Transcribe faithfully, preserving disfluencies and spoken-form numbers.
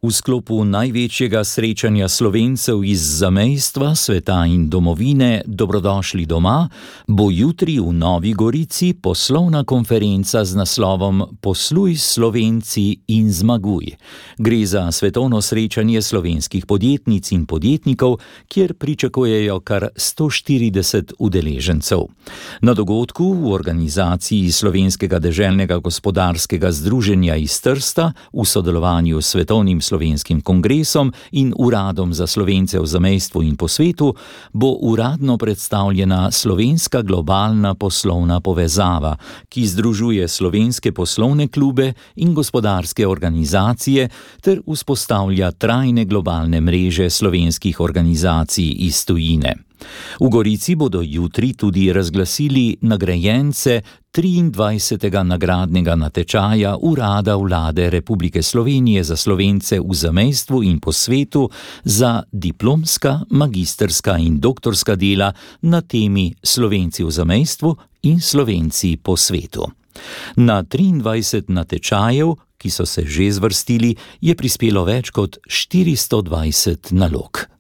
V sklopu največjega srečanja Slovencev iz zamejstva, sveta in domovine Dobrodošli doma bo jutri v Novi Gorici poslovna konferenca z naslovom Posluj s Slovenci in zmaguj. Gre za svetovno srečanje slovenskih podjetnic in podjetnikov, kjer pričakujejo kar sto štirideset udeležencev. Na dogodku v organizaciji Slovenskega deželnega gospodarskega združenja iz Trsta v sodelovanju s Svetovnim Slovenskim kongresom in Uradom za Slovence v zamejstvu in po svetu bo uradno predstavljena slovenska globalna poslovna povezava, ki združuje slovenske poslovne klube in gospodarske organizacije ter vzpostavlja trajne globalne mreže slovenskih organizacij iz tujine. V Gorici bodo jutri tudi razglasili nagrajence triindvajsetega nagradnega natečaja Urada Vlade Republike Slovenije za Slovence v zamejstvu in po svetu za diplomska, magistrska in doktorska dela na temi Slovenci v zamejstvu in Slovenci po svetu. Na triindvajset natečajev, ki so se že zvrstili, je prispelo več kot štiristo dvajset nalog.